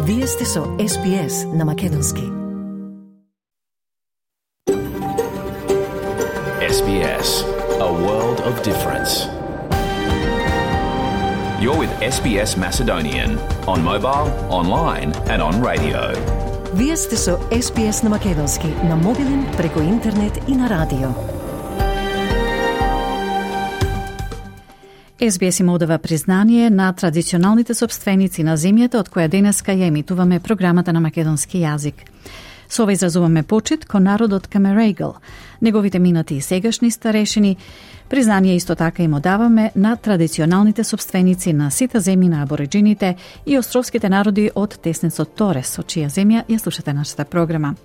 Вие сте со SBS на Македонски. SBS, a world of difference. You're with SBS Macedonian on mobile, online and on radio. Вие сте со SBS на Македонски на мобилен, преку интернет и на радио. SBS им одава признание на традиционалните собственици на земјата од која денеска ја емитуваме програмата на македонски јазик. Со ова изразуваме почит кон народот Камерайгл, неговите минати и сегашни старешини. Признание исто така им одаваме на традиционалните собственици на сите земји на абориджините и островските народи од теснецот Торес, од чија земја ја слушате нашата програма.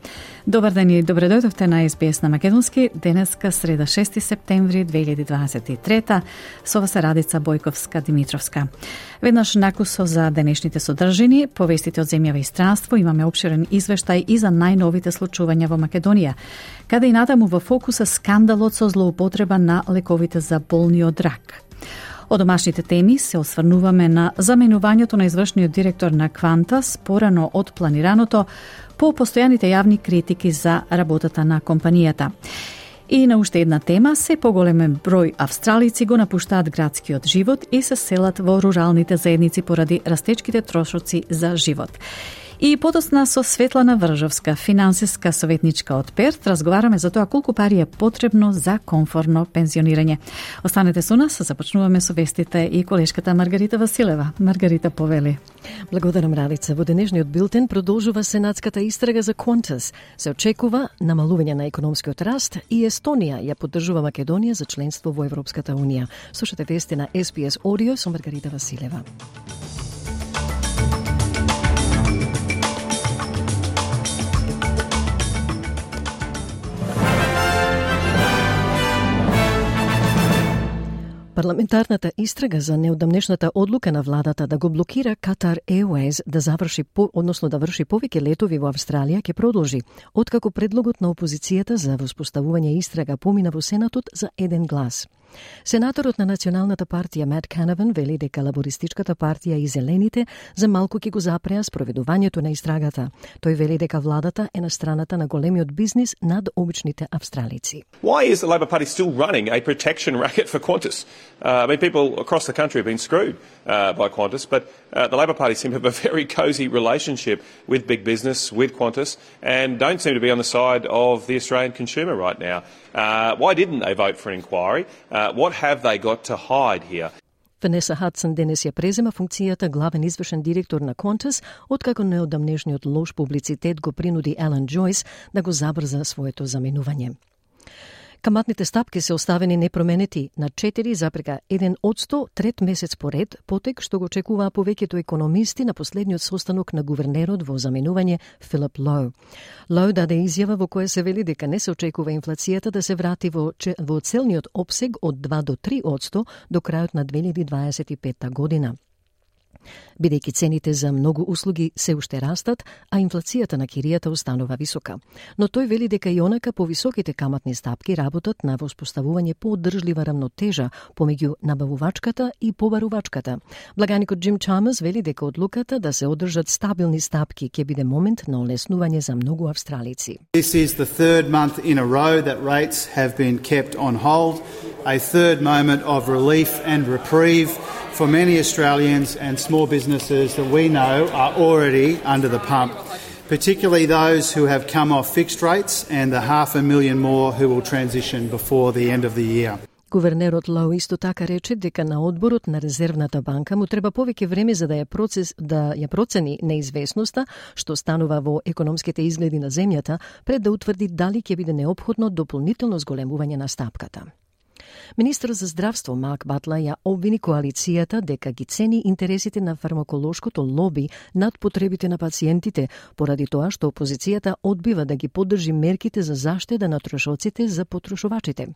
Добар ден и добре дојдовте на SBS на Македонски, денеска среда 6 септември 2023, со вас е Радица Бојковска-Димитровска. Веднаш накусо за денешните содржини, повестите од земјава и странство, имаме опширен извештај и за најновите случувања во Македонија, каде и натаму во фокуса скандалот со злоупотреба на лековите за болни од рак. Од домашните теми се осврнуваме на заменувањето на извршниот директор на Qantas порано од планираното по постојаните јавни критики за работата на компанијата. И на уште една тема, се поголемен број австралици го напуштаат градскиот живот и се селат во руралните заедници поради растечките трошоци за живот. И подосна со Светлана Вржовска, финансиска советничка од Перт, разговараме за тоа колку пари е потребно за комфортно пензионирање. Останете со нас, започнуваме со вестите и колешката Маргарита Василева. Маргарита, повели. Благодарам, Радица. Во денешниот билтен продолжува сенатската истрага за Qantas. Се очекува намалување на економскиот раст и Естонија ја поддржува Македонија за членство во Европската унија. Слушате вести на SBS Audio со Маргарита Василева. Парламентарната истрага за неодамнешната одлука на владата да го блокира Qatar Airways да заврши да врши повеќе летови во Австралија ќе продолжи, откако предлогот на опозицијата за воспоставување истрага помина во Сенатот за еден глас. Сенаторот на Националната партија Мат Канаван вели дека Лабористичката партија и Зелените за малку ќе го запреа спроведувањето на истрагата. Тој вели дека владата е на страната на големиот бизнис над обичните австралици. Why is the Labor Party still running a protection racket for Qantas? People across the country have been screwed by Qantas, but the Labor Party seem to have a very cosy relationship with big business, with Qantas, and don't seem to be on the side of the Australian consumer right now. Why didn't they vote for an inquiry? What have they got to hide here? Ванеса Хадсон денес ја презема функцијата главен извршен директор на Qantas, откако неодамнешниот лош публицитет го принуди Елен Джойс да го забрза своето заменување. Каматните стапки се оставени непроменети на 4,1% трет месец поред, потек што го очекуваа повеќето економисти на последниот состанок на гувернерот во заменување Филип Лоу. Лоу даде изјава во која се вели дека не се очекува инфлацијата да се врати во целниот опсег од 2 до 3% до крајот на 2025 година. Бидејќи цените за многу услуги се уште растат, а инфлацијата на киријата останува висока. Но тој вели дека и онака повисоките каматни стапки работат на воспоставување пооддржлива рамнотежа помеѓу набавувачката и побарувачката. Благаникот Джим Чамерс вели дека одлуката да се одржат стабилни стапки ќе биде момент на олеснување за многу австралици. This is the third month in a row that rates have been kept on hold, a third moment of relief and reprieve for many Australians and small businesses that we know are already under the pump, particularly those who have come off fixed rates and the 500,000 more who will transition before the end of the year. Гувернерот Лоу исто така рече дека на одборот на Резервната банка му треба повеќе време за да ја процени неизвестноста што станува во економските изгледи на земјата пред да утврди дали ќе биде неопходно дополнително зголемување на стапката. Министер за здравство Марк Батлер ја обвини коалицијата дека ги цени интересите на фармаколошкото лоби над потребите на пациентите, поради тоа што опозицијата одбива да ги поддржи мерките за заштеда на трошоците за потрошувачите.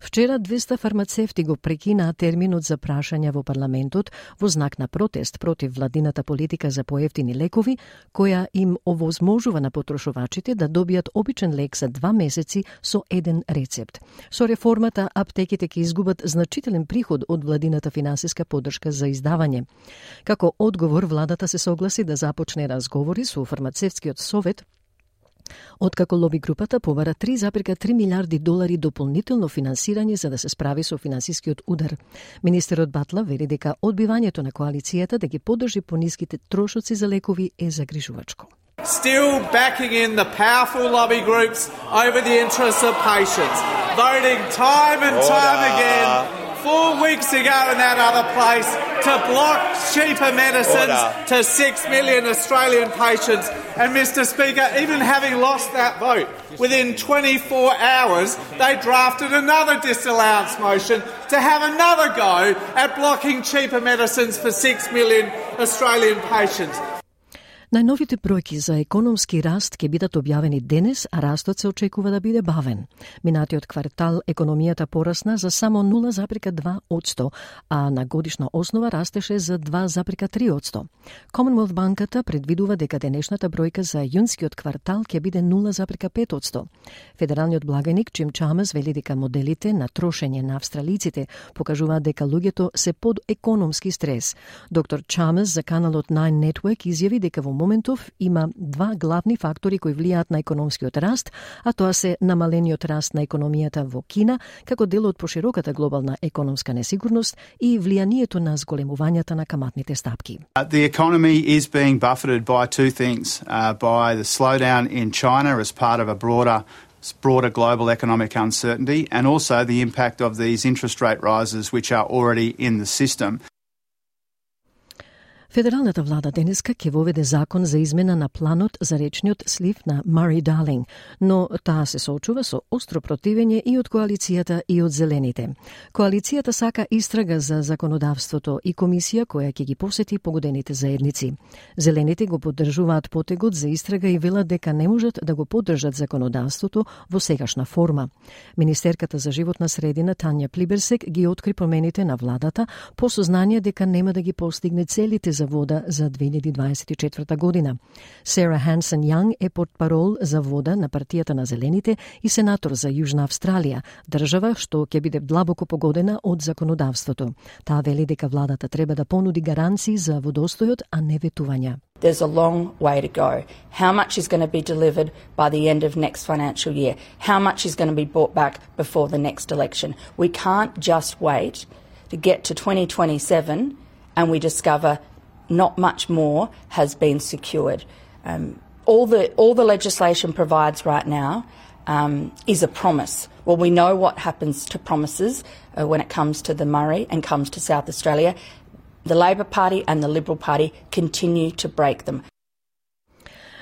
Вчера 200 фармацевти го прекинаа терминот за прашања во парламентот во знак на протест против владината политика за поевтини лекови, која им овозможува на потрошувачите да добијат обичен лек за 2 месеци со еден рецепт. Со реформата аптеките банките ќе изгубат значителен приход од владината финансиска поддршка за издавање. Како одговор, владата се согласи да започне разговори со фармацевтскиот совет, откако лоби групата побара $3,3 милиарди дополнително финансирање за да се справи со финансискиот удар. Министерот Батла вели дека одбивањето на коалицијата да ги поддржи пониските трошоци за лекови е загрижувачко. Still backing in the powerful lobby groups over the interests of patients, voting time and time again 4 weeks ago in that other place to block cheaper medicines to 6 million Australian patients. And Mr. Speaker, even having lost that vote, within 24 hours they drafted another disallowance motion to have another go at blocking cheaper medicines for 6 million Australian patients. Најновите бројки за економски раст ќе бидат објавени денес, а растот се очекува да биде бавен. Минатиот квартал економијата порасна за само 0,2%, а на годишна основа растеше за 2,3%. Commonwealth банката предвидува дека денешната бројка за јунскиот квартал ќе биде 0,5%. Федералниот благаник Джим Чамерс вели дека моделите на трошење на австралиците покажуваат дека луѓето се под економски стрес. Доктор Чамерс за каналот Nine Network изјави дека во моментов има два главни фактори кои влијаат на економскиот раст, а тоа се намалениот раст на економијата во Кина како дел од пошироката глобална економска несигурност и влијанието на зголемувањата на каматните стапки. The economy is being buffeted by two things, by the slowdown in China as part of a broader global economic uncertainty, and also the impact of these interest rate rises which are already in the system. Федералната влада денеска ќе воведе закон за измена на планот за речниот слив на Мари-Далинг, но таа се соочува со остро противење и од коалицијата и од зелените. Коалицијата сака истрага за законодавството и комисија која ќе ги посети погодените заедници. Зелените го поддржуваат потегот за истрага и велат дека не можат да го поддржат законодавството во сегашна форма. Министерката за животна средина Тања Плиберсек ги откри промените на владата по сознание дека нема да ги постигне целите за вода за 2024 година. Сара Хансен Јанг е портпарол за вода на партијата на Зелените и сенатор за Јужна Австралија, држава што ќе биде длабоко погодена од законодавството. Таа вели дека владата треба да понуди гаранции за водостојот, а не ветувања. There's a long way to go. How much is going to be delivered by the end of next financial year? How much is going to be brought back before the next election? We can't just wait to get to 2027 and we discover not much more has been secured. All the legislation provides right now is a promise. Well, we know what happens to promises when it comes to the Murray and comes to South Australia. The Labor Party and the Liberal Party continue to break them.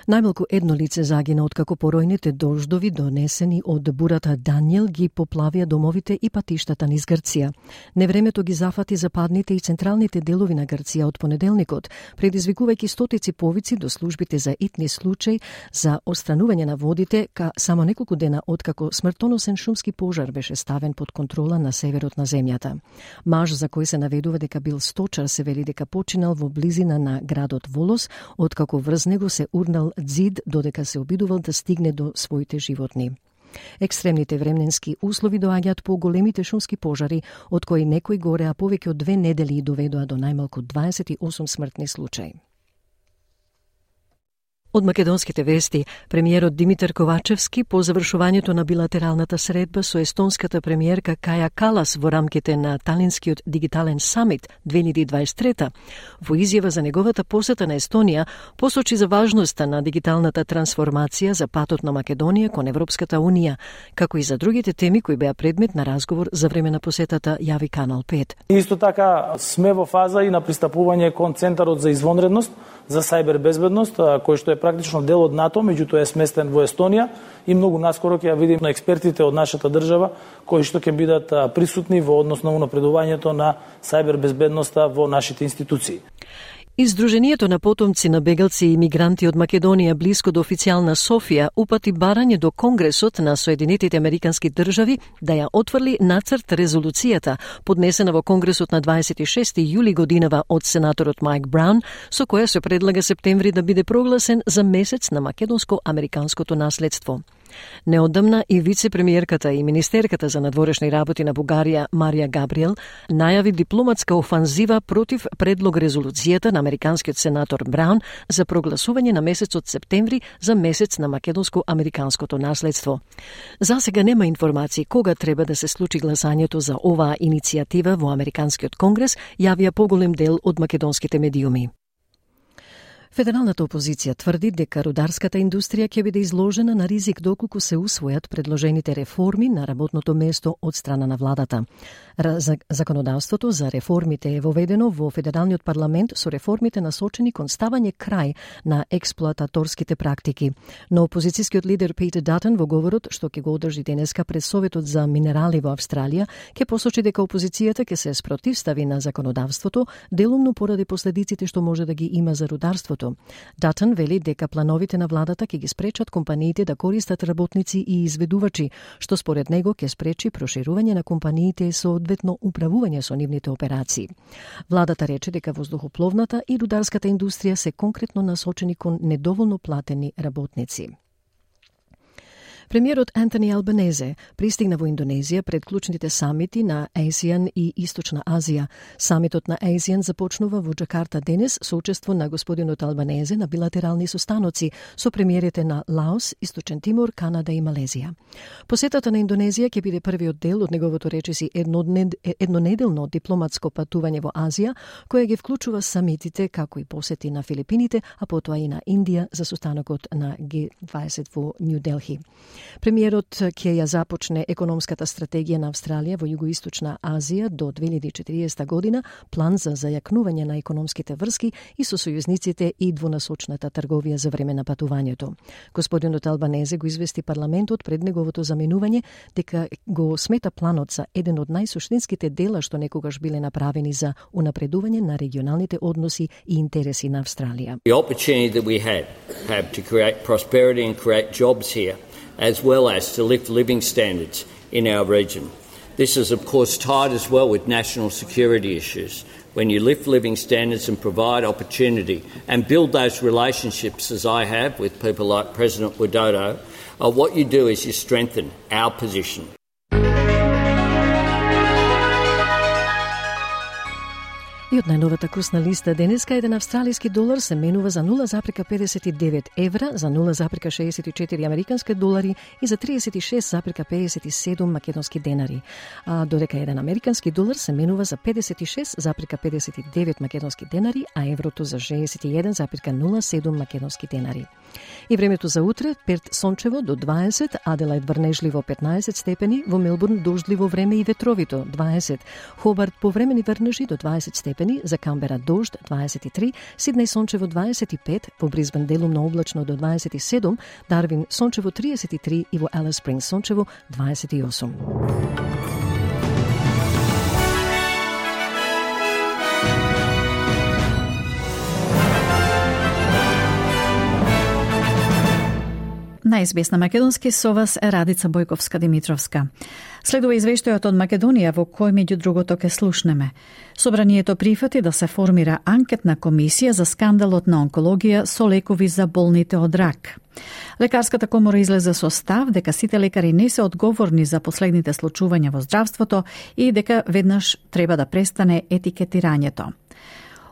Најмалку едно лице загина откако поројните дождови донесени од бурата Даниел ги поплавија домовите и патиштата низ Грција. Невремето ги зафати западните и централните делови на Грција од понеделникот, предизвикувајќи стотици повици до службите за итни случаи за отстранување на водите, само неколку дена откако смртоносен шумски пожар беше ставен под контрола на северот на земјата. Маж за кој се наведува дека бил сточар се вели дека починал во близина на градот Волос, откако врз него се урнал ѕид додека се обидувал да стигне до своите животни. Екстремните временски услови доаѓаат по големите шумски пожари, од кои некои гореа повеќе од 2 недели и доведоа до најмалку 28 смртни случаи. Од македонските вести, премиерот Димитар Ковачевски по завршувањето на билатералната средба со естонската премиерка Каја Калас во рамките на Талинскиот дигитален самит 2023, во изјава за неговата посета на Естонија, посочи за важноста на дигиталната трансформација за патот на Македонија кон Европската Унија, како и за другите теми кои беа предмет на разговор за време на посетата, јави Канал 5. Исто така сме во фаза и на пристапување кон Центарот за извонредност за сајбер безбедност, кој што е практично дел од НАТО, меѓутоа е сместен во Естонија и многу наскоро ќе ја видим на експертите од нашата држава кои што ќе бидат присутни во однос на унапредувањето на сајбер безбедноста во нашите институции. Издруженијето на потомци на бегалци и мигранти од Македонија блиско до официјална Софија упати барање до Конгресот на Соединетите Американски држави да ја отфрли нацрт резолуцијата, поднесена во Конгресот на 26 јули годинава од сенаторот Майк Браун, со која се предлага септември да биде прогласен за месец на македонско-американското наследство. Неодамна и вице-премиерката и министерката за надворешни работи на Бугарија Марија Габриел најави дипломатска офанзива против предлог резолуцијата на американскиот сенатор Браун за прогласување на месецот септември за месец на македонско-американското наследство. За сега нема информации кога треба да се случи гласањето за оваа иницијатива во Американскиот конгрес, јавија поголем дел од македонските медиуми. Федералната опозиција тврди дека рударската индустрија ќе биде изложена на ризик доколку се усвојат предложените реформи на работното место од страна на владата. Законодавството за реформите е воведено во Федералниот парламент со реформите насочени кон ставање крај на експлоататорските практики. Но опозицијскиот лидер Питер Датон во говорот што ќе го одржи денеска пред Советот за минерали во Австралија ќе посочи дека опозицијата ќе се спротивстави на законодавството делумно поради последиците што може да ги има за рударството. Датон вели дека плановите на владата ќе ги спречат компаниите да користат работници и изведувачи, што според него ќе спречи проширување на компаниите со одветно управување со нивните операции. Владата рече дека воздухопловната и рударската индустрија се конкретно насочени кон недоволно платени работници. Премиерот Антони Албанезе пристигна во Индонезија пред клучните самити на ASEAN и Источна Азија. Самитот на ASEAN започнува во Джакарта денес со учество на господинот Албанезе на билатерални состаноци со премиерите на Лаос, Источен Тимор, Канада и Малезија. Посетата на Индонезија ќе биде првиот дел од неговото речиси еднонеделно дипломатско патување во Азија, која ги вклучува самитите како и посети на Филипините, а потоа и на Индија за состанокот на G20 во Нью Делхи. Премиерот ќе ја започне економската стратегија на Австралија во Југоисточна Азија до 2040 година, план за зајакнување на економските врски и со сојузниците и двунасочната трговија за време на патувањето. Господинот Албанезе го извести парламентот пред неговото заменување дека го смета планот за еден од најсуштинските дела што некогаш биле направени за унапредување на регионалните односи и интереси на Австралија. The opportunity that we have to create prosperity and create jobs here, as well as to lift living standards in our region. This is, of course, tied as well with national security issues. When you lift living standards and provide opportunity and build those relationships, as I have with people like President Widodo, what you do is you strengthen our position. И од најновата курсна листа денеска еден австралиски долар се менува за 0,59 евра, за 0,64 американски долари и за 36,57 македонски денари. А додека еден американски долар се менува за 56,59 македонски денари, а еврото за 61,07 македонски денари. И времето за утре: Перт сончево до 20, Аделаид врнежливо 15 степени, во Мелбурн дождливо време и ветровито 20, Хобарт повремени врнежи до 20 степени, за Камбера дожд 23, Сиднеј сончево 25, во Брисбен делумно облачно до 27, Дарвин сончево 33 и во Алис Спрингс сончево 28. На СБС на македонски со вас е Радица Бојковска-Димитровска. Следува извештајот од Македонија во кој меѓу другото ке слушнеме. Собранието прифати да се формира анкетна комисија за скандалот на онкологија со лекови за болните од рак. Лекарската комора излезе со став дека сите лекари не се одговорни за последните случувања во здравството и дека веднаш треба да престане етикетирањето.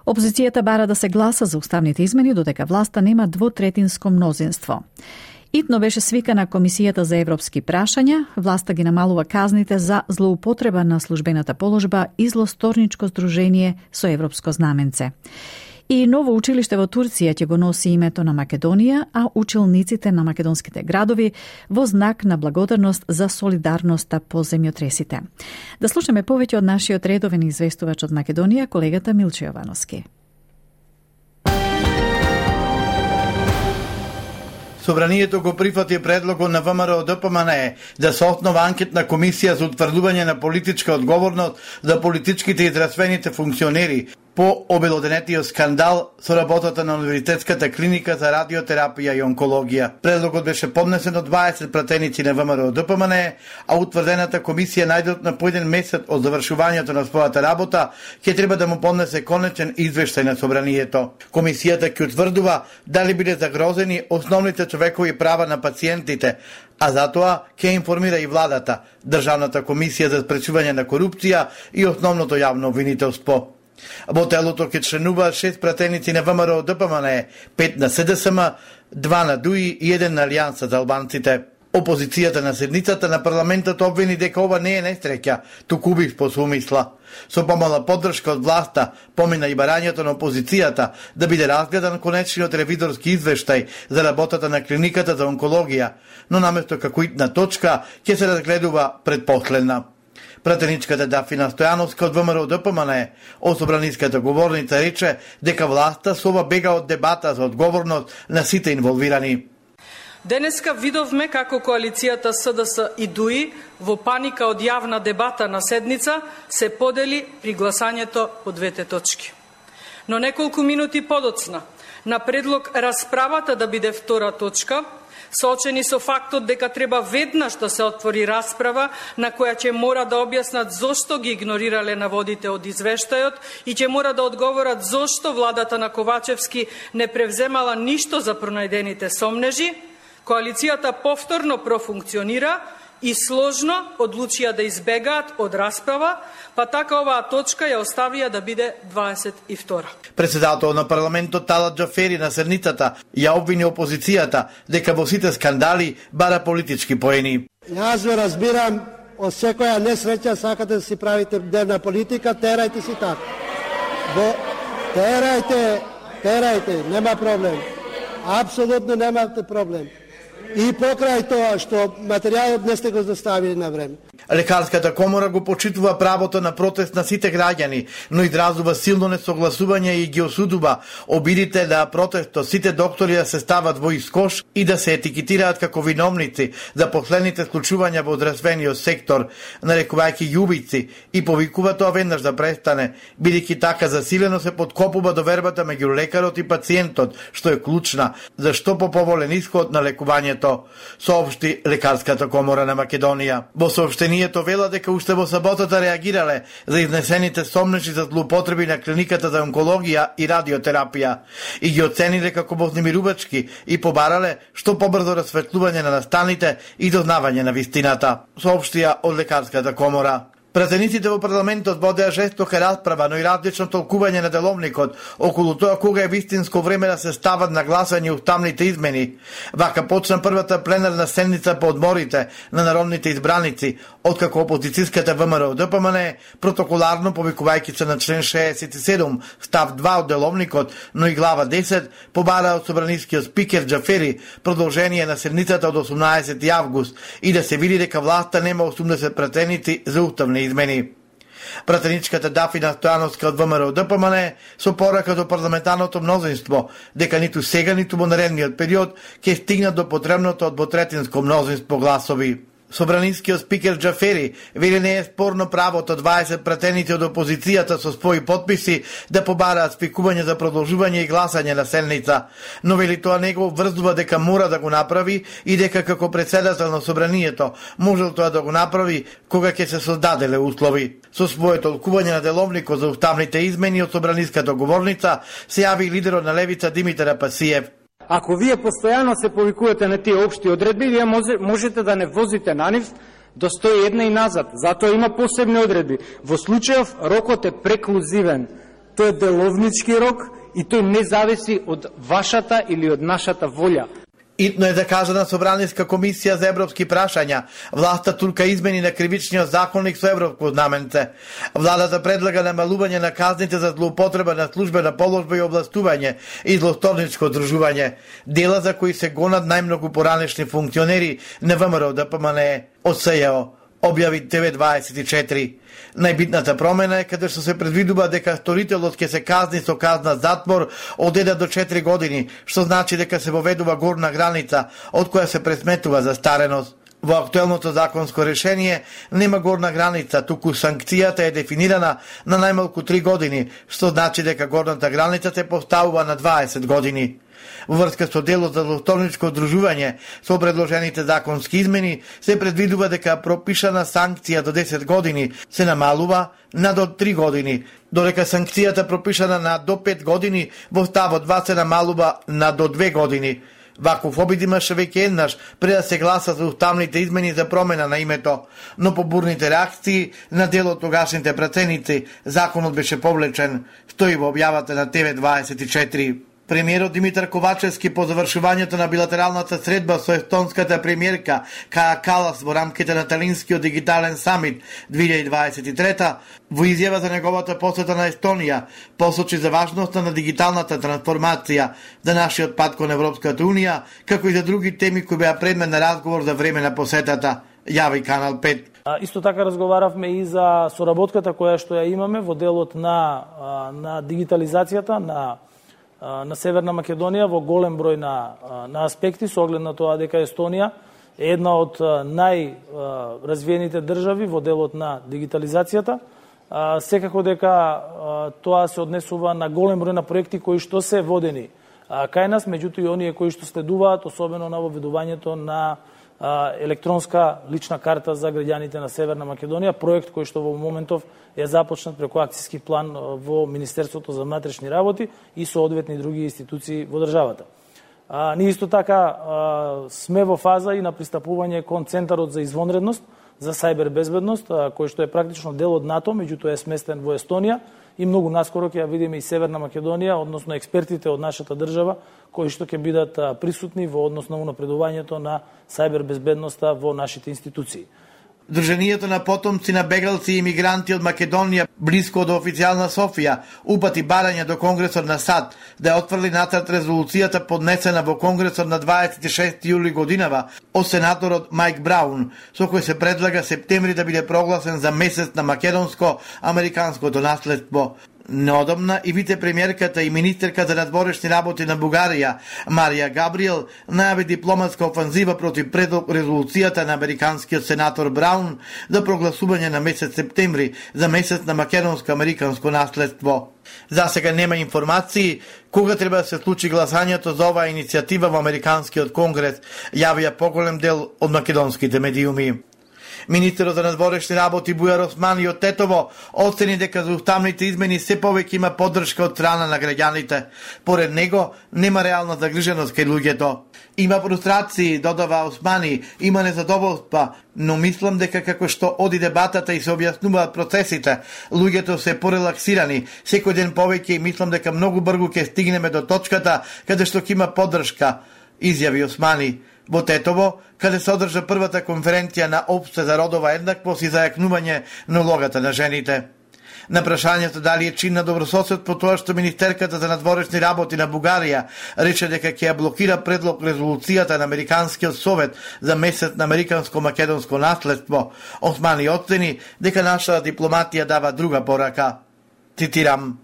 Опозицијата бара да се гласа за уставните измени додека власта нема двотретинско мнозинство. Итно беше свикана Комисијата за европски прашања, власта ги намалува казните за злоупотреба на службената положба и злосторничко здружение со европско знаменце. И ново училиште во Турција ќе го носи името на Македонија, а училниците на македонските градови во знак на благодарност за солидарноста по земјотресите. Да слушаме повеќе од нашиот редовен известувач од Македонија, колегата Милче Јовановски. Собранието го прифати предлогот на ВМРО ДПМНЕ да се основа анкетна комисија за утврдување на политичка одговорност за политичките и здравствените функционери. по обелоденетиот скандал со работата на Универзитетската клиника за радиотерапија и онкологија. Предлогот беше поднесен од 20 пратеници на ВМРО ДПМН, а утврдената комисија најдотна по 1 месец од завршувањето на својата работа ќе треба да му поднесе конечен извештај на собранието. Комисијата ќе утврдува дали биле загрозени основните човекови права на пациентите, а затоа ќе информира и владата, Државната комисија за спречување на корупција и основното јавно обвинителство. Во телото ќе членуваат 6 пратеници на ВМРО ДПМН, 5 на СДСМ, 2 на ДУИ и 1 на Алијанса за албанците. Опозицијата на седницата на парламентот обвини дека ова не е несреќа, туку убиство со умисла. Со помала поддршка од власта помина и барањето на опозицијата да биде разгледан конечниот ревизорски извештај за работата на клиниката за онкологија, но наместо како итна точка ќе се разгледува предпоследна. Пратеничката Дафина Стојановска од ВМРО ДПМН, собраниската говорница, рече дека власта со ова бега од дебата за одговорност на сите инволвирани. Денеска видовме како коалицијата СДС и ДУИ во паника од јавна дебата на седница се подели при гласањето по двете точки. Но неколку минути подоцна, на предлог расправата да биде втора точка, соочени со фактот дека треба веднаш да се отвори расправа на која ќе мора да објаснат зошто ги игнорирале наводите од извештајот и ќе мора да одговорат зошто владата на Ковачевски не превземала ништо за пронајдените сомнежи, коалицијата повторно профункционира и сложно одлучија да избегаат од расправа, па така оваа точка ја оставија да биде 22. Председател на парламентот Талат Џафери на седницата ја обвини опозицијата дека во сите скандали бара политички поени. Јас ве разбирам, од секоја несреќа сакате да си правите дневна политика, терајте си така. Терајте, нема проблем. Апсолутно немате проблем. И покрај тоа што материјалот не сте го доставили на време. Лекарската комора го почитува правото на протест на сите граѓани, но изразува силно несогласување и ги осудува обидите да протестот сите доктори да се стават во искош и да се етикетираат како виновници за последните случувања во здравствениот сектор, нарекувајќи ги убици, и повикува тоа веднаш да престане, бидејќи така засилено се подкопува довербата меѓу лекарот и пациентот, што е клучна за што поповолен исход на лекувањето, соопшти Лекарската комора на Македонија. Во соопштението вела дека уште во саботата реагирале за изнесените сомнежи за злоупотреби на клиниката за онкологија и радиотерапија и ги оцениле како вознемирувачки и побарале што побрзо расветлување на настаните и дознавање на вистината, соопштија од Лекарската комора. Пратениците во парламентот водеа жестока расправа, но и различно толкување на деловникот околу тоа кога е вистинско време да се стават на гласање уставните измени. Вака почна првата пленарна седница по одморите на народните избраници, откако опозицијската ВМРО ДПМН протоколарно повикувајќи се на член 67, став 2 од деловникот, но и глава 10, побара од собранискиот спикер Џафери продолжение на седницата од 18 август и да се види дека власта нема 80 пратеници за уставни измени. Пратеничката Дафина Стојановска од ВМРО ДПМН со порака до парламентарното мнозинство дека ниту сега, ниту во наредниот период ќе стигнат до потребното од двотретинско мнозинство гласови. Собранискиот спикер Џафери вели не е спорно правото 20 пратеници од опозицијата со своји подписи да побараат спикување за продолжување и гласање на седница, но вели тоа не го врзува дека мора да го направи и дека како председател на собранието можел тоа да го направи кога ќе се создаделе услови. Со своето толкување на деловникот за уставните измени од собраниската говорница се јави лидерот на левица Димитар Апасиев. Ако вие постојано се повикувате на тие општи одредби, вие можете да не возите на нив до 101 и назад. Затоа има посебни одредби. Во случајов рокот е преклузивен. Тој е деловнички рок и тој не зависи од вашата или од нашата волја. Итно е закажана Собраниска комисија за европски прашања. Власта турка измени на кривичниот законник со европско знаменце. Владата предлага намалување на казните за злоупотреба на службена положба и областување и злосторничко здружување. Дела за кои се гонат најмногу поранешни функционери на ВМРО ДПМН од СЈО, објави ТВ24. Најбитната промена е каде што се предвидува дека сторителот ќе се казни со казна затвор од 1 до 4 години, што значи дека се воведува горна граница од која се пресметува застареност. Во актуелното законско решение нема горна граница, туку санкцијата е дефинирана на најмалку 3 години, што значи дека горната граница се поставува на 20 години. Во врска со делот за злосторничко одружување со предложените законски измени се предвидува дека пропишана санкција до 10 години се намалува на до 3 години, додека санкцијата пропишана на до 5 години во ставот 2 се намалува на до 2 години. Ваков обид имаше веќе еднаш пред да се гласа за уставните измени за промена на името, но по бурните реакции на дел од тогашните пратеници, законот беше повлечен, стои во објавата на ТВ24. Премиерот Димитар Ковачевски по завршувањето на билатералната средба со естонската премиерка Каја Калас во рамките на Талинскиот дигитален самит 2023 во изјава за неговата посета на Естонија посочи за важноста на дигиталната трансформација за нашиот пат кон Европската унија, како и за други теми кои беа предмет на разговор за време на посетата, јави Канал 5. Исто така разговаравме и за соработката која што ја имаме во делот на дигитализацијата на Северна Македонија во голем број на аспекти, со оглед на тоа дека Естонија е една од најразвиените држави во делот на дигитализацијата. Секако дека тоа се однесува на голем број на проекти кои што се водени кај нас, меѓутоа и оние кои што следуваат, особено на воведувањето на електронска лична карта за граѓаните на Северна Македонија, проект кој што во моментов е започнат преку акцијски план во Министерството за внатрешни работи и соодветни други институции во државата. Ние исто така сме во фаза и на пристапување кон Центарот за извонредност за сајбер безбедност, кој што е практично дел од НАТО, меѓутоа е сместен во Естонија и многу наскоро ќе ја видиме и Северна Македонија, односно експертите од нашата држава кои што ќе бидат присутни во однос на унапредувањето на сајбер безбедноста во нашите институции. Друженијето на потомци на бегалци и имигранти од Македонија блиско до официјална Софија упати барање до Конгресот на САД да ја отфрли нацрт резолуцијата поднесена во Конгресот на 26 јули годинава од сенаторот Мајк Браун, со кој се предлага септември да биде прогласен за месец на македонско-американското наследство. Неодамна и вице-премиерката и министерка за надворешни работи на Бугарија, Марија Габриел, најави дипломатска офанзива против предлог резолуцијата на американскиот сенатор Браун за прогласување на месец септември за месец на македонско-американско наследство. За сега нема информации кога треба да се случи гласањето за оваа иницијатива во Американскиот конгрес, јавија поголем дел од македонските медиуми. Министерот за надворешни работи Бујар Османи од Тетово оцени дека за уставните измени се повеќе има поддршка од страна на граѓаните. Поред него нема реална загриженост кај луѓето. Има фрустрации, додава Османи, има незадоволства, но мислам дека како што оди дебатата и се објаснуваат процесите, луѓето се порелаксирани, секој ден повеќе и мислам дека многу брзо ќе стигнеме до точката каде што ќе има поддршка, изјави Османи. Во Тетово, каде се одржа првата конференција на Опште за родова еднаквост и зајакнување на улогата на жените. На прашањето дали е чин на добрососед по тоа што министерката за надворешни работи на Бугарија рече дека ќе ја блокира предлог резолуцијата на Американскиот совет за месец на американско-македонско наследство, Османи оцени дека нашата дипломатија дава друга порака. Цитирам: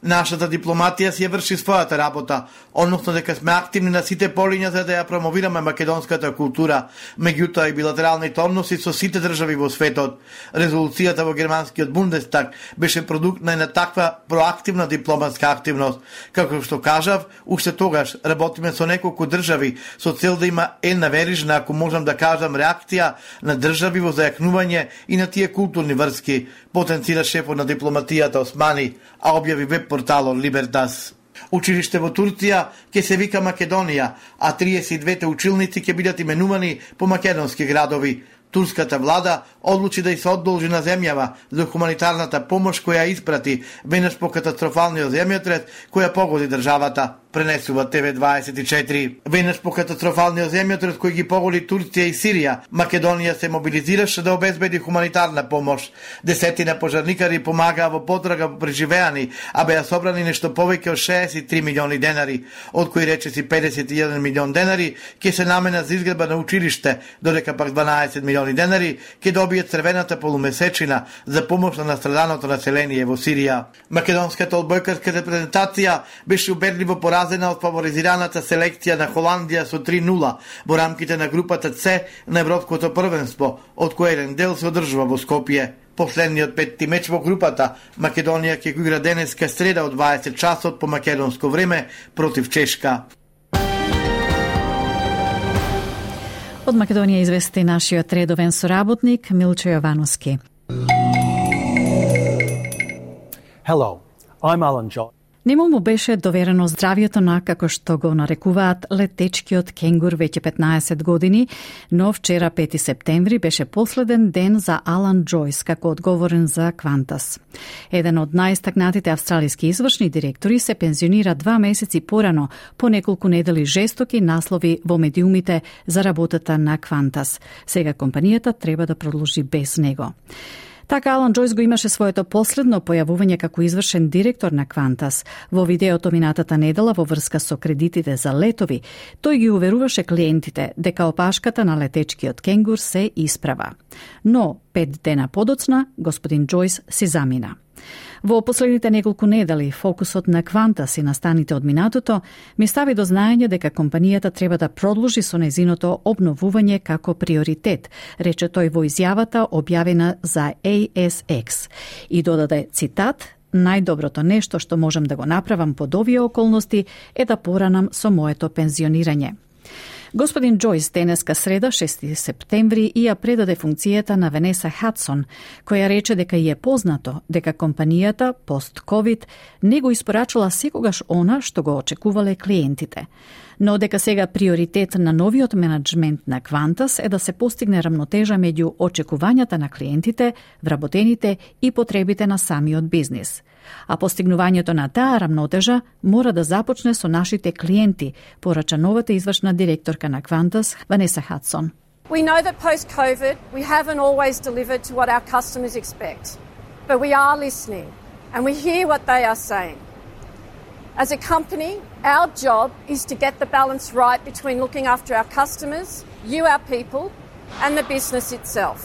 Нашата дипломатија си ја врши својата работа, односно дека сме активни на сите полиња за да ја промовираме македонската култура, меѓутоа и билатералните односи со сите држави во светот. Резолуцијата во германскиот Бундестаг беше продукт на една таква проактивна дипломатска активност. Како што кажав, уште тогаш работиме со неколку држави со цел да има една верижна, ако можам да кажам, реакција на држави во зајакнување и на тие културни врски, потенцира шефот на дипломатијата Османи, а објави веб порталот Либертас. Училиште во Турција ќе се вика Македонија, а 32 училници ќе бидат именувани по македонски градови. Турската влада одлучи да и се одолжи на земјава за хуманитарната помош која испрати веднаш по катастрофалниот земјотрес која погоди државата, пренесува ТВ24. Веднаш по катастрофалниот земјотрес кој ги погоди Турција и Сирија, Македонија се мобилизираше да обезбеди хуманитарна помош. Десетина пожарникари помагаа во потрага по преживеани, а беа собрани нешто повеќе од 63 милиони денари, од кои речиси 51 милион денари ќе се наменат за изградба на училиште, додека пак 12 милиони денари ќе добијат црвената полумесечина за помош на настраданото население во Сирија. Македонската одбојкарска репрезентација беше убедливо поразена од фаворизираната селекција на Холандија со 3-0 во рамките на групата С на Европското првенство, од кој еден дел се одржува во Скопје. Последниот петти меч во групата Македонија ќе го игра денеска среда од 20 часот по македонско време против Чешка. Од Македонија извести нашиот редовен соработник Милчо Јовановски. Hello, I'm Alan Joyce. Нему му беше доверено здравието на, како што го нарекуваат, летечкиот кенгур веќе 15 години, но вчера 5 септември беше последен ден за Алан Джойс како одговорен за Qantas. Еден од најстакнатите австралиски извршни директори се пензионира 2 месеци порано по неколку недели жестоки наслови во медиумите за работата на Qantas. Сега компанијата треба да продолжи без него. Така Алан Джойс го имаше своето последно појавување како извршен директор на Qantas. Во видеото минатата недела во врска со кредитите за летови, тој ги уверуваше клиентите дека опашката на летечкиот кенгур се исправа. Но 5 дена подоцна господин Джойс си замина. Во последните неколку недели фокусот на Qantas и настаните од минатото ми стави до знаење дека компанијата треба да продолжи со незиното обновување како приоритет, рече тој во изјавата објавена за ASX и додаде цитат: "Најдоброто нешто што можам да го направам под овие околности е да поранам со моето пензионирање." Господин Джойс денеска среда, 6 септември, ја предаде функцијата на Ванеса Хадсон, која рече дека ја е познато дека компанијата пост-ковид не го испорачала секогаш она што го очекувале клиентите, но дека сега приоритет на новиот менеджмент на Qantas е да се постигне рамнотежа меѓу очекувањата на клиентите, вработените и потребите на самиот бизнис. А постигнувањето на таа рамнотежа мора да започне со нашите клиенти, порача новата извршна директорка на Qantas, Ванеса Хадсон. We know that post-COVID, we haven't always delivered to what our customers expect, but we are listening and we hear what they are saying. As a company, our job is to get the balance right between looking after our customers, you, our people, and the business itself.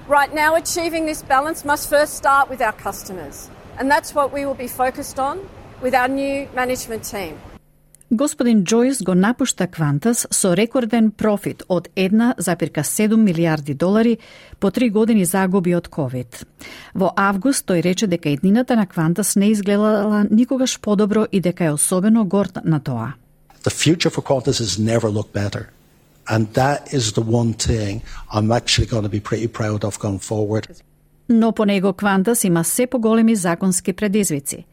Right now, achieving this balance must first start with our customers. And that's what we will be focused on with our new management team. Господин Джойс го напушта Qantas со рекорден профит од 1,7 милијарди долари по 3 години загуби од COVID. Во август тој рече дека иднината на Qantas не изгледала никогаш подобро и дека е особено горд на тоа. The future for Qantas has never looked better. And that is the one thing I'm actually going to be pretty proud of going forward. Но по него Qantas има се поголеми законски предизвици.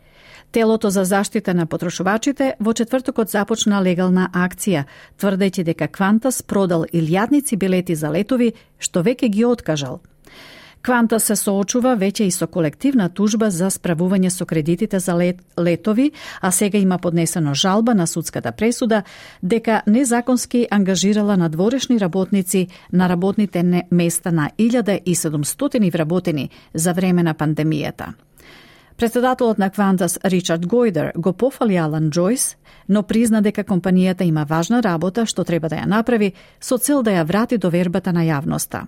Телото за заштита на потрошувачите во четвртокот започна легална акција, тврдејќи дека Qantas продал илјадници билети за летови, што веќе ги откажал. Qantas се соочува веќе и со колективна тужба за справување со кредитите за летови, а сега има поднесено жалба на судската пресуда дека незаконски ангажирала надворешни работници на работните места на 1700 вработени за време на пандемијата. Председателот на Qantas Ричард Гојдер го пофали Алан Джойс, но призна дека компанијата има важна работа што треба да ја направи со цел да ја врати довербата на јавноста.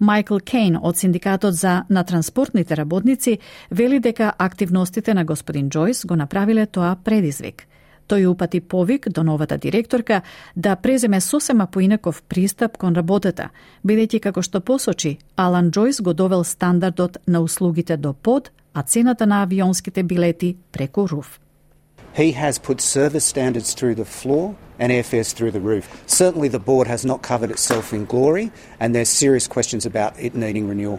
Майкл Кейн од Синдикатот на транспортните работници вели дека активностите на господин Джойс го направиле тоа предизвик. Тој упати повик до новата директорка да преземе сосема поинаков пристап кон работата, бидејќи како што посочи, Алан Джойс го довел стандардот на услугите до под, а цената на авионските билети преку руф. He has put service standards through the floor and airfares through the roof. Certainly the board has not covered itself in glory and there's serious questions about it needing renewal.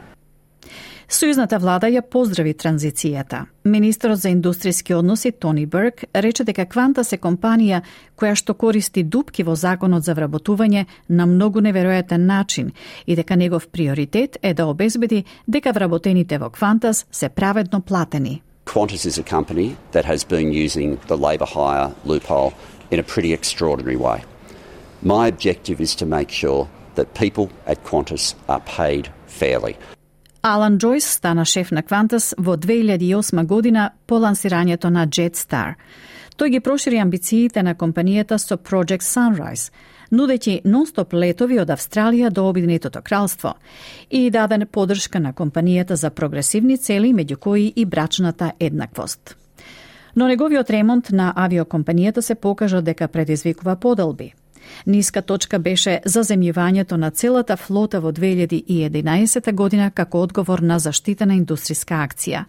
Сојузната влада ја поздрави транзицијата. Министерот за индустријски односи Тони Берк рече дека Qantas е компанија која што користи дупки во законот за вработување на многу неверојатен начин и дека негов приоритет е да обезбеди дека вработените во Qantas се праведно платени. Qantas is a company that has been using the labour hire loophole in a pretty extraordinary way. My objective is to make sure that people at Qantas are paid fairly. Алан Джойс стана шеф на Qantas во 2008 година по лансирањето на Jetstar. Тој ги прошири амбициите на компанијата со Project Sunrise, нудејќи нон-стоп летови од Австралија до Обединетото кралство и даде подршка на компанијата за прогресивни цели, меѓу кои и брачната еднаквост. Но неговиот ремонт на авиокомпанијата се покажа дека предизвикува поделби. Ниска точка беше заземјувањето на целата флота во 2011 година како одговор на заштитена индустријска акција.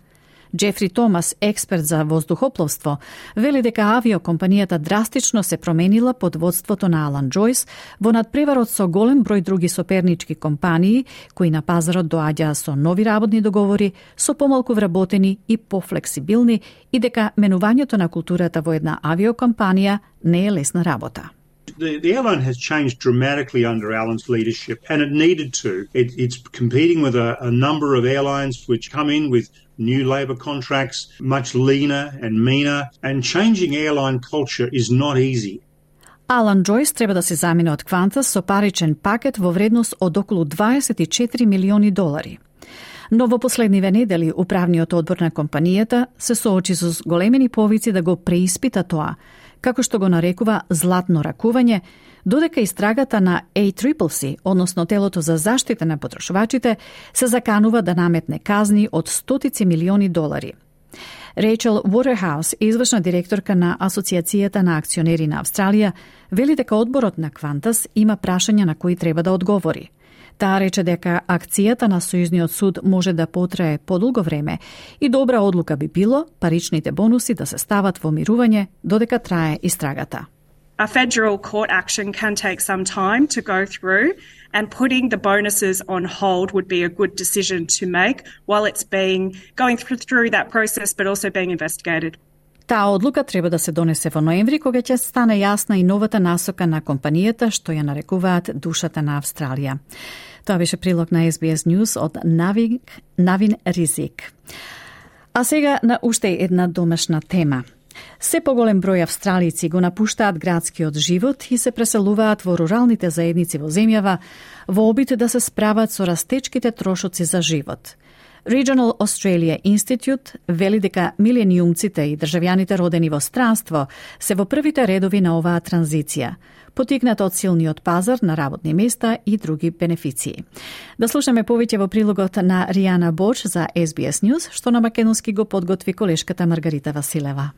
Джефри Томас, експерт за воздухопловство, вели дека авиокомпанијата драстично се променила под водството на Алан Џојс во надпреварот со голем број други сопернички компании кои на пазарот доаѓаа со нови работни договори, со помалку вработени и пофлексибилни, и дека менувањето на културата во една авиокомпанија не е лесна работа. The airline has changed dramatically under Alan's leadership, and it needed to. It's competing with a number of airlines which come in with new labour contracts, much leaner and meaner, and changing airline culture is not easy. Алан Џојс треба да се замине од Qantas со паричен пакет во вредност од околу $24 милиони. Но во последниве недели управниот одбор на компанијата се соочи со големени повици да го преиспита тоа, како што го нарекува златно ракување, додека истрагата на ACCC, односно телото за заштита на потрошувачите, се заканува да наметне казни од $100 милиони. Рейчел Уотерхаус, извршна директорка на Асоциацијата на акционери на Австралија, вели дека одборот на Qantas има прашања на кои треба да одговори. Таа рече дека акцијата на Сојузниот суд може да потрае подолго време и добра одлука би било паричните бонуси да се стават во мирување додека трае истрагата. A federal court action can take some time to go through, and putting the bonuses on hold would be a good decision to make while it's going through that process but also being investigated. Таа одлука треба да се донесе во ноември, кога ќе стане јасна и новата насока на компанијата, што ја нарекуваат душата на Австралија. Тоа беше прилог на SBS News од Навин Ризик. А сега на уште една домашна тема. Се поголем број австралици го напуштаат градскиот живот и се преселуваат во руралните заедници во земјава во обид да се справат со растечките трошоци за живот. Regional Australia Institute вели дека милениумците и државјаните родени во странство се во првите редови на оваа транзиција, потикната од силниот пазар на работни места и други бенефиции. Да слушаме повеќе во прилогот на Ријана Боч за SBS News, што на македонски го подготви колешката Маргарита Василева.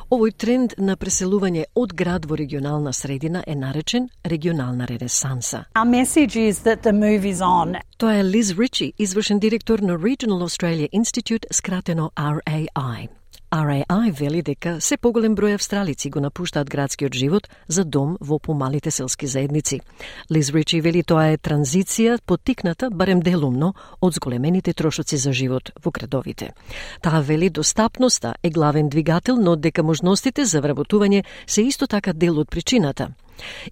Овој тренд на преселување од град во регионална средина е наречен регионална ренесанса. Our message is that the move is on. Тоа е Liz Ritchie, извршен директор на Regional Australia Institute, скратено RAI. RAI вели дека се поголем број австралици го напуштаат градскиот живот за дом во помалите селски заедници. Лиз Ричи вели тоа е транзиција поттикната барем делумно од зголемените трошоци за живот во градовите. Таа вели достапноста е главен двигател, но дека можностите за вработување се исто така дел од причината.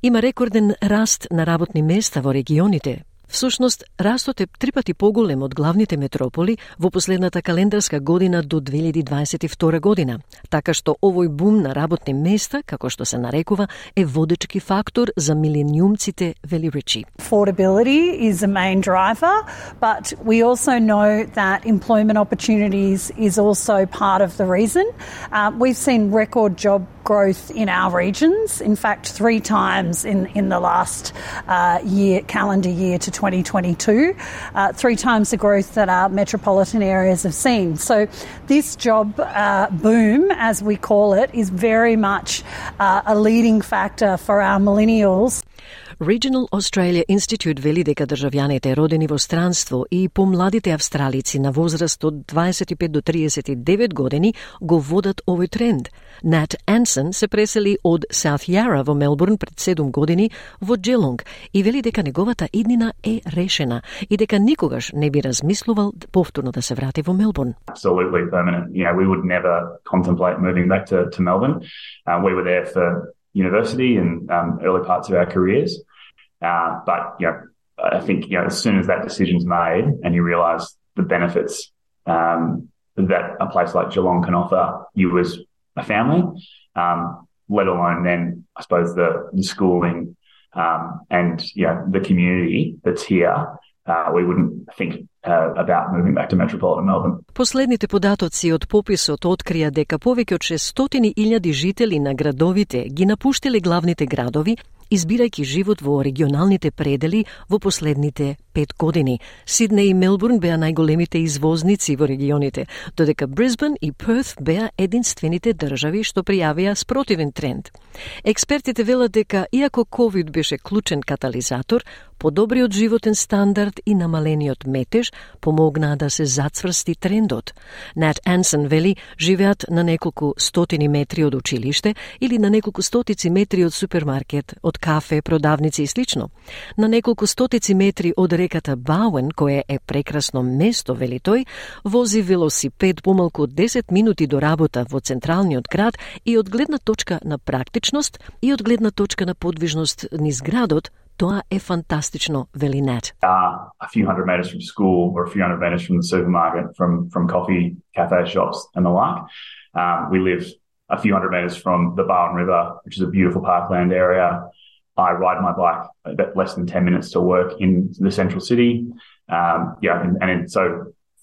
Има рекорден раст на работни места во регионите. Всушност, растот е 3 пати поголем од главните метрополи во последната календарска година до 2022 година, така што овој бум на работни места, како што се нарекува, е водечки фактор за милениумците, вели Ричи. Affordability is a main driver, but we also know that employment opportunities is also part of the reason. We've seen record job growth in our regions, in fact 3 times in the last calendar year to 2022, 3 times the growth that our metropolitan areas have seen. So this job boom, as we call it, is very much a leading factor for our millennials. Regional Australia Institute вели дека државјаните родени во странство и помладите австралици на возраст од 25 до 39 години го водат овој тренд. Nat Anson се пресели од South Yarra во Мелбурн пред 7 години во Geelong и вели дека неговата иднина е решена и дека никогаш не би размислувал повторно да се врати во Мелбурн. Absolutely permanent. You know, we would never contemplate moving back to Melbourne. We were there for university and early parts of our careers. But, you know, I think, you know, as soon as that decision's made and you realise the benefits that a place like Geelong can offer you as a family, let alone then, I suppose, the schooling and, you know, the community that's here, we wouldn't think about moving back to metropolitan Melbourne. Последните податоци од пописот открија дека повеќе од 600,000 жители на градовите ги напуштиле главните градови избирајќи живот во регионалните предели во последните 5 години. Сиднеј и Мелбурн беа најголемите извозници во регионите, додека Брисбен и Перт беа единствените држави што пријавија спротивен тренд. Експертите велат дека, иако COVID беше клучен катализатор, подобриот животен стандард и намалениот метеж помогнаа да се зацврсти трендот. Нат Ансен вели, живеат на неколку стотини метри од училиште или на неколку стотици метри од супермаркет, од кафе, продавници и слично. На неколку стотици метри од реката Бауен, кое е прекрасно место, вели тој, вози велосипед помалку од 10 минути до работа во централниот град и од гледна точка на практичност и од гледна точка на подвижност низ градот, тоа е фантастично, вели Нат. A few hundred metres from school or a few hundred metres from the supermarket, from coffee, cafe shops and the like. We live a few hundred metres from the Barwon River, which is a beautiful parkland area. I ride my bike about less than 10 minutes to work in the central city. So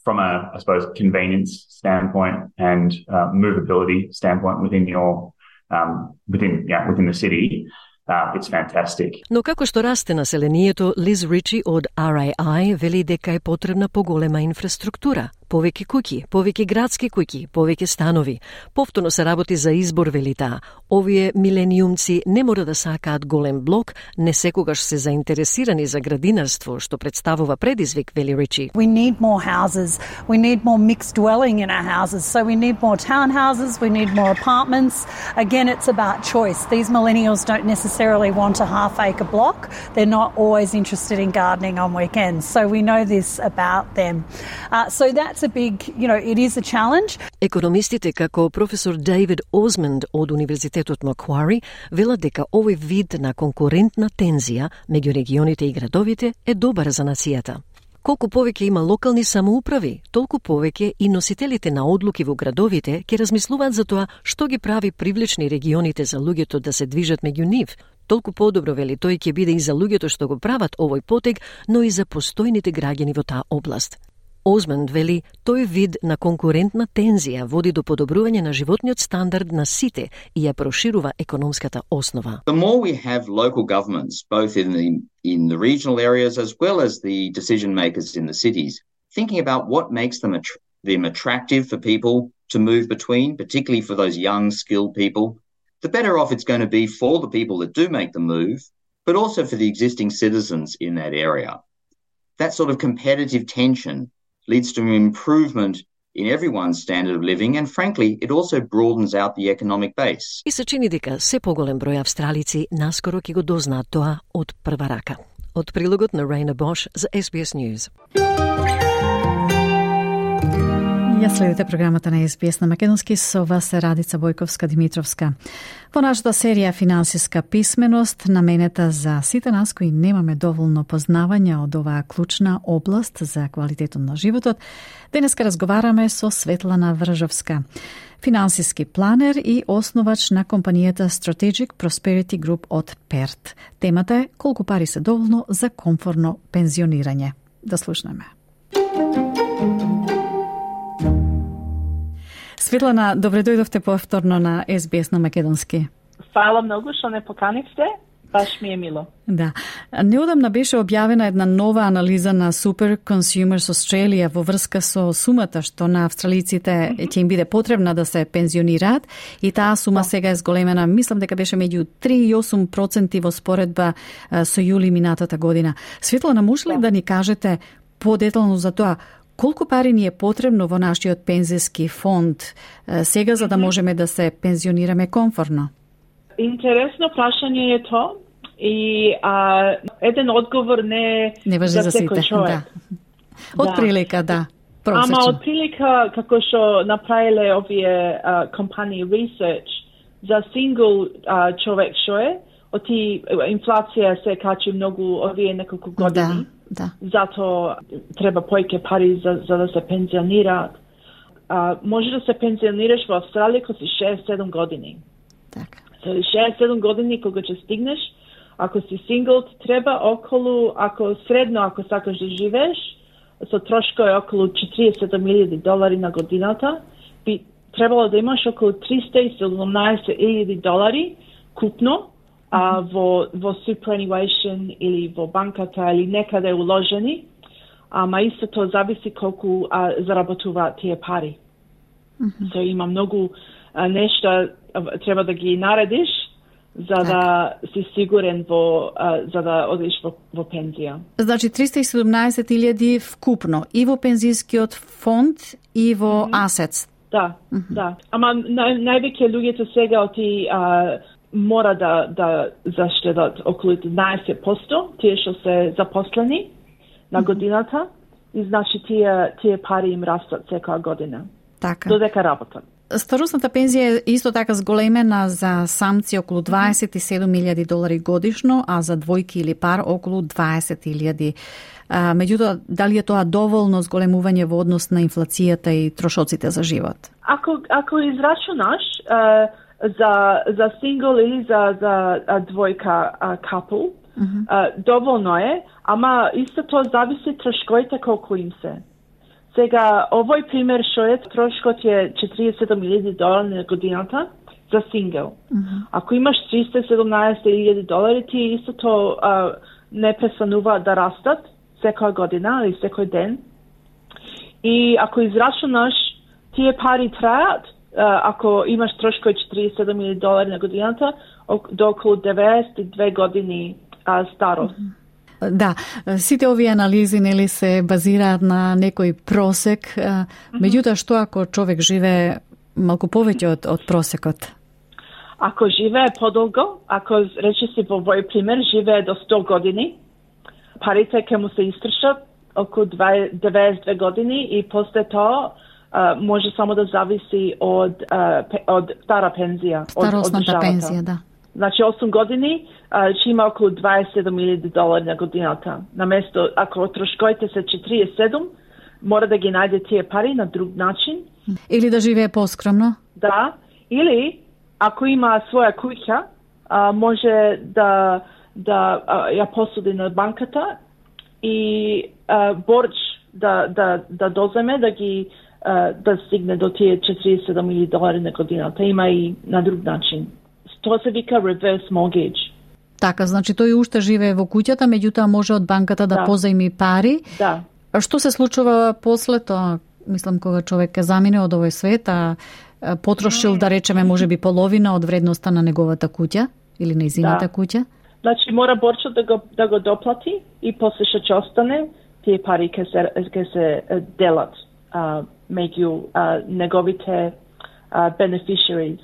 from a, I suppose, convenience standpoint and movability standpoint within your within the city, it's fantastic. Но како што расте населението, Лиз Ричи од RAI вели дека е потребна поголема инфраструктура, повеќе куќи, повеќе градски куќи, повеќе станови. Повторно се работи за избор, вели таа. Овие милениумци не мора да сакаат голем блок, не секогаш се заинтересирани за градинарство, што представува предизвик, вели Ричи. We need more houses. We need more mixed dwelling in our houses. So we need more townhouses, we need more apartments. Again, it's about choice. These millennials don't necessarily want a half-acre block. They're not always interested in gardening on weekends. So we know this about them. So that's a big, it is a challenge. Економистите како професор Дейвид Осмонд од Универзитетот Маквари велат дека овој вид на конкурентна тензија меѓу регионите и градовите е добар за нацијата. Колку повеќе има локални самоуправи, толку повеќе и носителите на одлуки во градовите ќе размислуваат за тоа што ги прави привлечни регионите за луѓето да се движат меѓу нив. Толку подобро, вели тој, ќе биде и за луѓето што го прават овој потег, но и за постојните граѓани во таа област. Осмонд вели, тој вид на конкурентна тензија води до подобрување на животниот стандард на сите и ја проширува економската основа. The more we have local governments, both in the regional areas as well as the decision makers in the cities, thinking about what makes them attractive for people to move between, particularly for those young, skilled people, the better off it's going to be for the people that do make the move, but also for the existing citizens in that area. That sort of competitive tension leads to an improvement in everyone's standard of living, and frankly, it also broadens out the economic base. И се чини дека се поголем број австралици наскоро ќе го дознаат тоа од прва рака. Од прилогот на Рейна Бош за SBS News. Ја следите програмата на SBS на македонски, со вас е Радица Бојковска-Димитровска. Во нашата серија Финансиска писменост, наменета за сите нас кои немаме доволно познавање од оваа клучна област за квалитетот на животот, денеска разговараме со Светлана Вржовска, финансиски планер и основач на компанијата Strategic Prosperity Group од Перт. Темата е колку пари се доволно за комфортно пензионирање. Да слушнеме. Светлана, добре дојдовте повторно на SBS на македонски. Фала многу што не поканивте, баш ми е мило. Да. Неодамна беше објавена една нова анализа на Super Consumers Australia во врска со сумата што на австралиците ќе им биде потребна да се пензионираат, и таа сума сега е зголемена, мислам дека беше меѓу 3 и 8% во споредба со јули минатата година. Светлана, може ли да ни кажете подетално за тоа колку пари ни е потребно во нашиот пензиски фонд сега за да можеме да се пензионираме комфортно? Интересно прашање е тоа и еден одговор не важи за сите. Да. Од прилика, да. Просечно. Ама од прилика како што направиле овие компании research за сингл човек што е, оти инфлација се качи многу овие неколку години. Да. Зато треба поеќе пари за да се пензионираат. Може да се пензионираш во Австралија кога си 67 години. Така. Со 67 години кога ќе стигнеш, ако си сингл, треба околу, ако сакаш да живееш, со трошкови околу $47,000 на годината, би требало да имаш околу $317,000 купно, во superannuation или во банката или некаде уложени, ама исто тоа зависи колку заработуваат тие пари. So, има многу нешта треба да ги наредиш за да си сигурен за да одиш во пензија. Значи 317.000 вкупно и во пензискиот фонд и во асетс. Да, да. Ама највеќе луѓето сега мора да заштедат околу 11%, тие што се запослени на годината, и значи тие пари им растат секоја година. Така. Додека работат. Старосната пензија е исто така зголемена за самци околу $27,000 годишно, а за двојки или пар околу 20,000. Меѓутоа, дали е тоа доволно зголемување во однос на инфлацијата и трошоците за живот? Ако израчунаш за сингл или за двојка couple, доволно е, ама исто тоа зависи трошковите колку им се. Сега, овој пример што е, трошкот е $47,000 на годината за сингл. Ако имаш $317,000, ти исто тоа не престанува да растат секоја година или секој ден. И ако израчунаш, тие пари трајат, ако имаш трошкот $47,000 на годината, до околу 92 години старост. Да, сите овие анализи нели се базираат на некој просек, меѓутоа што ако човек живее малку повеќе од просекот? Ако живее подолго, ако рече си во овој пример живее до 100 години, парите ќе му се истрошат околу 92 години и после тоа може само да зависи од стара пензија. Старосната пензија, да. Значи 8 години ќе има околу $27,000 на годината. Наместо, ако трошковите се 47, мора да ги најде тие пари на друг начин. Или да живее поскромно. Да, или ако има своја куќа, може да ја посуди на банката и борч да доземе, да стигне до тие $47,000 на годината. Има и на друг начин. Тоа се вика reverse mortgage. Така, значи тој уште живее во куќата, меѓутоа може од банката да позајми пари. Да. Што се случува после тоа? Мислам, кога човек замине од овој свет, потрошил, да речеме, можеби половина од вредноста на неговата куќа или нејзината куќа? Значи мора борчот да го доплати и после што ќе остане, тие пари ќе се делат меѓу неговите beneficiaries.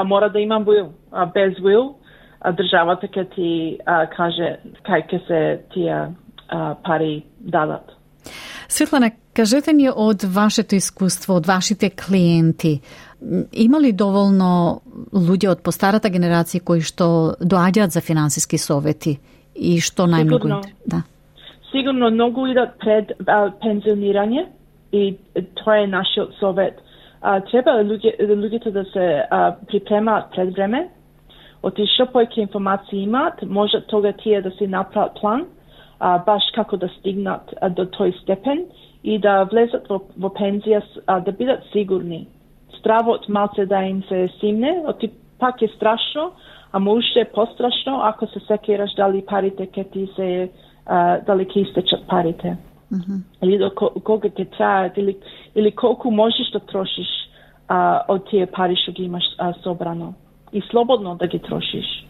Мора да имам will. Без will, државата ќе ти каже кај ќе се тие пари дадат. Светлана, кажете ни од вашето искуство, од вашите клиенти, има ли доволно луѓе од постарата генерација кои што доаѓаат за финансиски совети и што најмногу? Да. Сигурно многу идат пред пензионирање и тоа е нашиот совет. Треба луѓето да се припремаат пред време, оти што поеќе информации имаат, може тога тие да си направат план, баш како да стигнат до тој степен и да влезат во пензија, да бидат сигурни. Стравот малце да им се симне, оти пак е страшно, ама уште е пострашно ако се секираш дали парите ќе ти се, дали ќе истечат парите. Или до кога ќе трајат, или колку можеш да трошиш од тие пари што ги имаш собрано. И слободно да ги трошиш.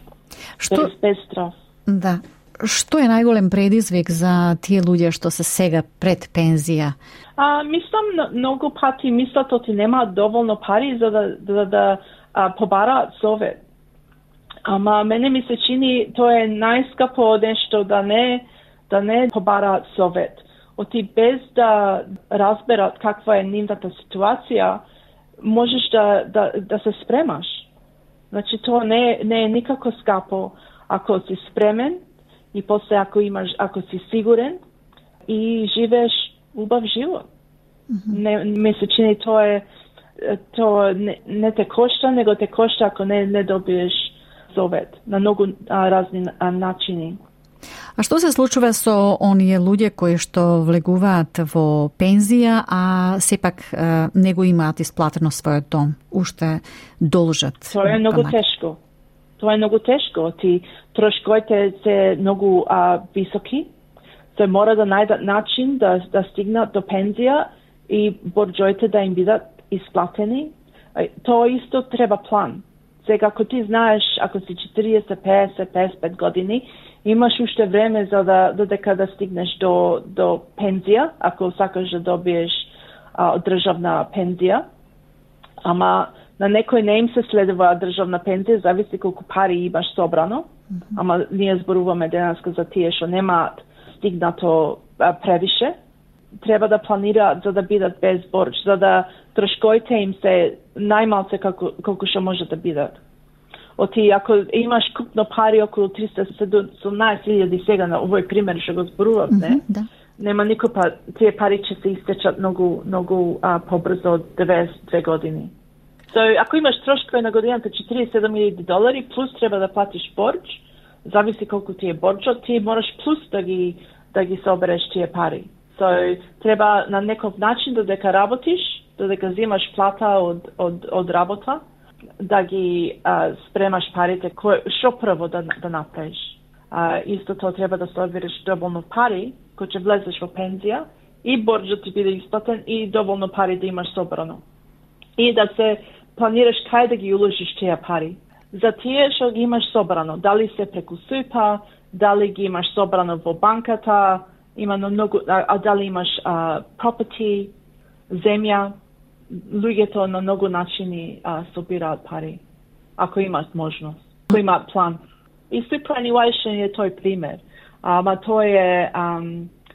Без страв. Да. Што е најголем предизвик за тие луѓе што се сега пред пензија? Мислам, многу пати мислат оти немаат доволно пари за да побараат совет. Ама мене ми се чини тоа е најскапо нешто да не побараат совет. Оти без да разберат каква е нивната ситуација, можеш да се спремаш. Значи тоа не е никако скапо ако си спремен и после ако си сигурен и живееш убав живот. Ми се чини тоа не те кошта, него те кошта ако не добиеш совет на многу разни начини. А што се случува со оние луѓе кои што влегуваат во пензија, а сепак не го имаат исплатено својот дом? Уште должат? Тоа е многу тешко. тоа е многу тешко. Трошковите се многу високи. Се мора да најдат начин да стигнат до пензија и борџоите да им бидат исплатени. Тоа исто треба план. Сега, ако ти знаеш, ако си 40, 50, 55 години, имаш уште време за додека да стигнеш до пензија, ако сакаш да добиеш државна пензија. Ама на некој не им се следува државна пензија, зависи колку пари имаш собрано. Ама ние зборуваме денеска за тие што немаат стигнато превише. Треба да планираат за да бидат без борџ, за да трошковите им се најмалце колку што може да бидат. Ако имаш купно пари околу 317.000 сега на овој пример што го зборував, нема никој тие пари ќе се истечат многу побрзо од 92 години. Ако имаш трошкови на годината $47,000 плюс треба да платиш борџ, зависи колку ти е борџот, ти мораш плюс да ги собереш тие пари. Треба на некој начин додека работиш, додека земаш плата од работа, да ги спремаш парите, што прво да направиш. Исто тоа треба да собереш доволно пари, кој ќе влезеш во пензија, и борџот ти биде исплатен, и доволно пари да имаш собрано. И да се планираш кај да ги уложиш тие пари. За тие што ги имаш собрано, дали се преку СУП, дали ги имаш собрано во банката, дали имаш property, земја, луѓето на многу начини собираат пари, ако имаат можност, ако имаат план. И superannuation е тој пример, ама тој е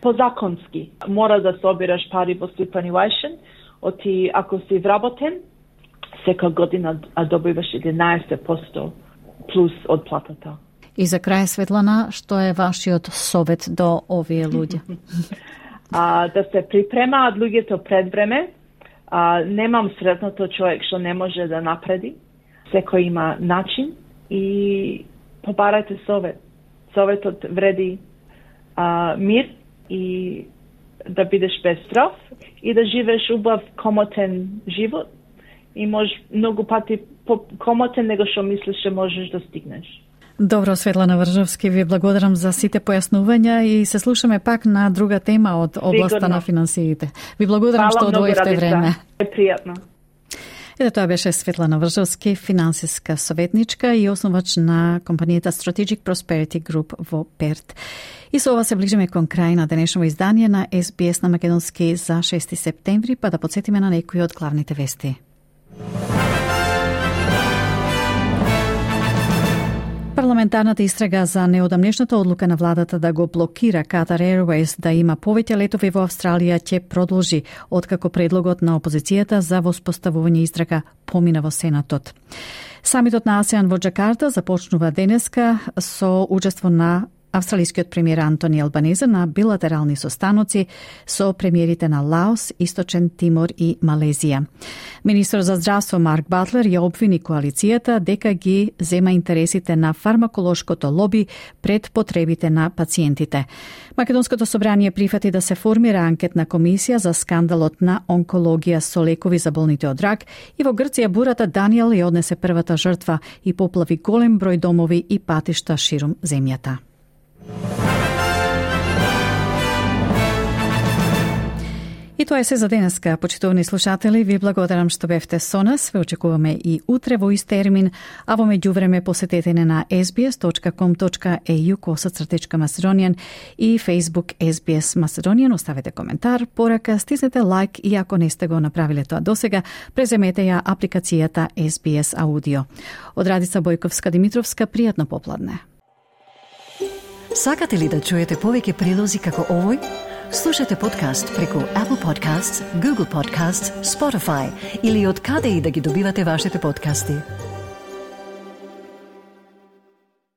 позаконски. Мора да собираш пари во superannuation, ако си вработен, сека година добиваш 11% плюс од платата. И за крај, Светлана, што е вашиот совет до овие луѓе? Да се припремаат луѓето пред време. Немам сретното човек што не може да напреди. Секој има начин и побарајте совет. Советот вреди мир и да бидеш без страв и да живееш убав комотен живот. И може многу пати комотен него што мислиш што можеш да стигнеш. Добро, Светлана Вржовски, ви благодарам за сите појаснувања и се слушаме пак на друга тема од областа на финансиите. Ви благодарам што одвоивте време. Пријатно. Ето тоа беше Светлана Вржовски, финансиска советничка и основач на компанијата Strategic Prosperity Group во Перт. И со ова се ближиме кон крај на денешното издание на SBS на македонски за 6 септември, па да подсетиме на некои од главните вести. Парламентарната истрага за неодамнешната одлука на владата да го блокира Qatar Airways да има повеќе летови во Австралија ќе продолжи, откако предлогот на опозицијата за воспоставување истрага помина во Сенатот. Самитот на АСЕАН во Џакарта започнува денеска со учество на австралискиот премиер Антони Албанезе на билатерални состаноци со премиерите на Лаос, Источен Тимор и Малезија. Министр за здравство Марк Батлер ја обвини коалицијата дека ги зема интересите на фармаколошкото лоби пред потребите на пациентите. Македонското собрание прифати да се формира анкетна комисија за скандалот на онкологија со лекови за болните од рак и во Грција бурата Даниел ја однесе првата жртва и поплави голем број домови и патишта ширум земјата. И тоа е се за денеска, почитувани слушатели. Ви благодарам што бевте со нас. Ве очекуваме и утре во ист термин, а во меѓувреме посетете на sbs.com.au/Macedonian и Facebook SBS Macedonian. Оставете коментар, порака, стиснете лайк и ако не сте го направиле тоа досега, преземете ја апликацијата SBS Audio. Од Радица Бојковска-Димитровска, пријатно попладне. Сакате ли да чуете повеќе прилози како овој? Слушате подкаст преку Apple Podcasts, Google Podcasts, Spotify или од каде и да ги добивате вашите подкасти.